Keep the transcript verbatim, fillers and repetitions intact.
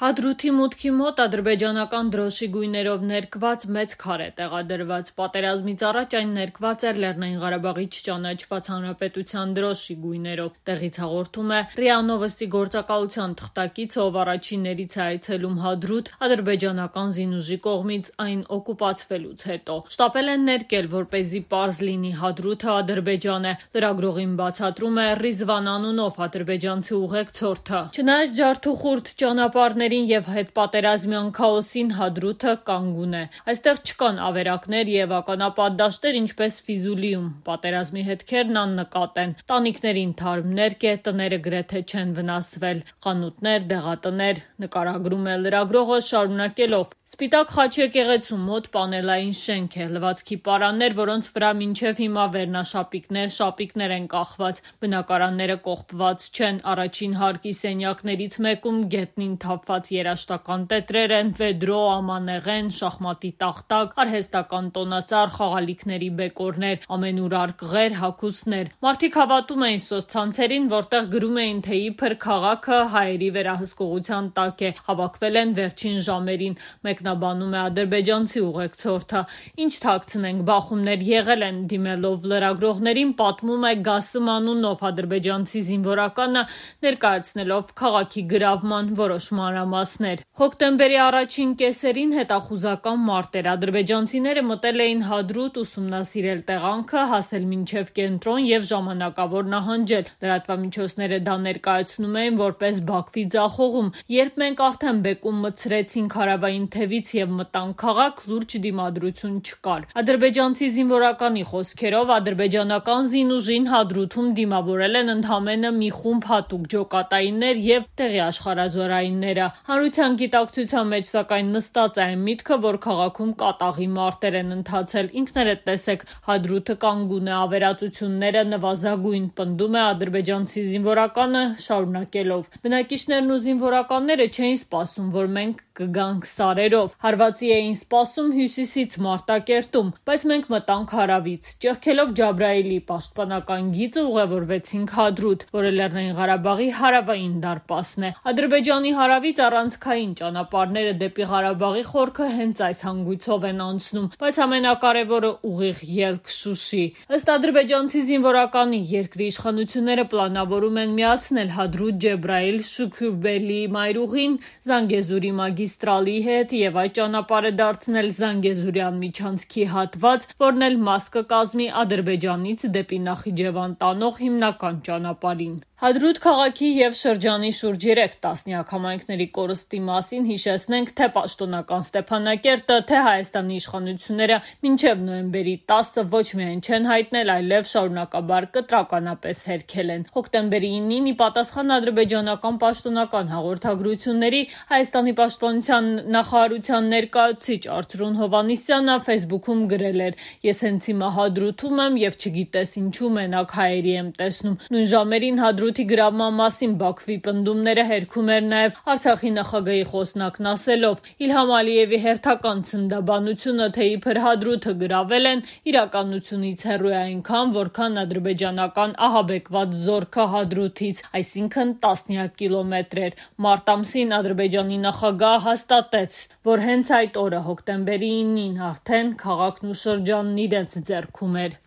Հադրութի մուտքի մոտ ադրբեջանական դրոշի գույներով ներկված մեծ քար է տեղադրված։ Պատերազմից առաջ այն ներկված էր Լեռնային Ղարաբաղի չճանաչված հանրապետության դրոշի գույներով։ Տեղից հաղորդում է ՌԻԱ Նովոստի գործակալության թղթակիցը, ով առաջիններից է այցելում Հադրութ ադրբեջանական զինուժի կողմից այն օկուպացվելուց հետո։ Շտապել են ներկել, որպեսզի պարզ լինի, Հադրութը Ադրբեջան է։ Լրագրողին բացատրում է Ռիզվան անունով ադրբեջանցի ուղեկցորդը։ Չնայած ջարդուխուրդ ճանապարհների եւ հետպատերազմյան քաոսին, Հադրութը կանգուն է։ Այստեղ չկան ավերակներ եւ ականապատ դաշտեր, ինչպես Ֆիզուլիում։ Պատերազմի հետքերն աննկատ են։ Տանիքներին թարմ ներք է, տները գրեթե չեն վնասվել։ Խանութներ, դեղատներ, նկարագրում է լրագրողը, շարունակելով. Սպիտակ խաչ եկեղեցու մոտ պանելային շենք է, լվացքի պարաններ, որոնց վրա մինչև հիմա վերնաշապիկներ, շապիկներ են կախված։ Բնակարանները կողպված չեն։ Առաջին հարկի սենյակներից մեկում գետնին թափված երաշտական տետրեր են, վեդրո, ամանեղեն, շախմատի տախտակ, արհեստական տոնածառ, խաղալիքների բեկորներ, ամենուրար կղեր, հագուստներ։ Մարդիկ հավատում էին սոցցանցերին, որտեղ գրում էին, թե իբր քաղաքը հայերի վերահսկողության տակ է։ Հավաքվել են վերջին ժամերին, մեկնաբանում է ադրբեջանցի ուղեկցորդը։ Ինչ թաքցնենք, բախումներ եղել են, դիմելով լրագրողներին, պատմում է Գասım անունով ադրբեջանցի զինվորականը, ներկայացնելով քաղաքի գրավման որոշ մանրամասներ։ Հոկտեմբերի առաջին կեսերին հետախուզական մարտ էր։ Ադրբեջանցիները մտել էին Հադրութ, ուսումնասիրել տեղանքը, հասել մինչև կենտրոն եւ ժամանակավոր նահանջել։ Լրատվամիջոցները դա ներկայացնում էին որպես Բաքվի ձախողում։ Երբ մենք արդեն բեկում մտցրեցինք հարավային թևից եւ մտանք քաղաք, լուրջ դիմադրություն չկար։ Ադրբեջանցի զինվորականի խոսքերով, ադրբեջանական զինուժին Հադրութում դիմավորել են ընդամենը մի խումբ հատուկ ջոկատայիններ եւ տեղի աշխարհազորայինները։ Հանրության գիտակցության մեջ սակայն նստած է այն միտքը, որ քաղաքում կատաղի մարտեր են ընթացել։ Ինքներդ տեսեք, Հադրութը կանգուն է, ավերածությունները նվազագույն, պնդում է ադրբեջանցի զինվորականը, շարունակելով. Բնակիչներն ու զինվորականները չէին սպասում, որ մենք կգանք սարերով։ Հարվածի էին սպասում հյուսիսից, Մարտակերտում, բայց մենք մտանք հարավից։ Ճեղքելով Ջաբրայիլի պաշտպանական գիծը ուղևորվեցինք Հադրութ, որը Լեռնային Ղարաբաղի հարավային դարպասն է։ Ադրբեջանի հարավից առանցքային ճանապարհները դեպի Ղարաբաղի խորքը հենց այս հանգույցով են անցնում, բայց ամենակարևորը ուղիղ ելք Շուշի։ Ըստ ադրբեջանցի զինվորականի, երկրի իշխանությունները պլանավորում են միացնել Հադրութ, Ջեբրայիլ, Շուքուրբելի մայրուղին Զանգեզուրի մագիստրալի հետ եւ այդ ճանապարհը դարձնել Զանգեզուրյան միջանցքի հատված, որն էլ մաս կկազմի Ադրբեջանից դեպի Նախիջևան տանող հիմնական ճանապարհին։ Հադրութ քաղաքի եւ շրջանի շուրջ երեք տասնյակ համայնքների կորստի մասին հիշեցնենք, թե պաշտոնական Ստեփանակերտը, թե Հայաստանի իշխանությունները մինչև նոյեմբերի տասը ոչ միայն չեն հայտնել, այլև շարունակաբար կտրականապես հերքել են։ Հոկտեմբերի ինին ի պատասխան ադրբեջանական պաշտոնական հաղորդագրությունների, Հայաստանի պաշտպանության նախարարության ներկայացուցիչ Արծրուն Հովհաննիսյանը Facebook-ում գրել էր. «Ես հենց հիմա Հադրութում եմ եւ չգիտես ինչու մենակ հայերի եմ տեսնում»։ Նույն ժամերին Հադրութի գրավման մասին Բաքվի պնդումները հերքում էր նաեւ Արցախի նախագահի խոսնակն ասելով. «Իլհամ Ալիևի հերթական ցնդաբանությունը, թե իբր Հադրութը գրավել են, իրականությունից հեռու է այնքան, որքան ադրբեջանական ահաբեկված զորքը Հադրութից, այսինքն տասնյակ կիլոմետրեր»։ Մարտ ամսին Ադրբեջանի նախագահը հաստատեց, որ հենց այդ օրը, հոկտեմբերի ինին, արդեն քաղաքն ու շրջանն իրենց ձեռքում էր։